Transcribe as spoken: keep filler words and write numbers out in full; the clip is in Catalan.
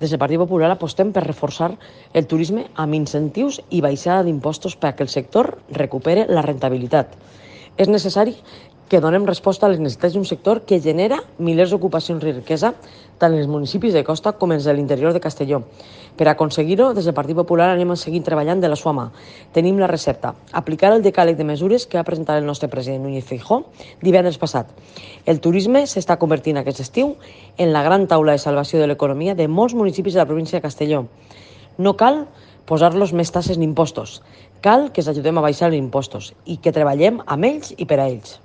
Des del Partit Popular apostem per reforçar el turisme amb incentius i baixada d'impostos perquè el sector recupere la rentabilitat. És necessari que donem resposta a les necessitats d'un sector que genera milers d'ocupacions i riquesa tant en els municipis de costa com en els de l'interior de Castelló. Per aconseguir-ho, des del Partit Popular anem a seguir treballant de la sua mà. Tenim la recepta: aplicar el decàleg de mesures que va presentar el nostre president Núñez Feijóo divendres passat. El turisme s'està convertint aquest estiu en la gran taula de salvació de l'economia de molts municipis de la província de Castelló. No cal posar-los més tasses ni impostos. Cal que els ajudem a baixar els impostos i que treballem amb ells i per a ells.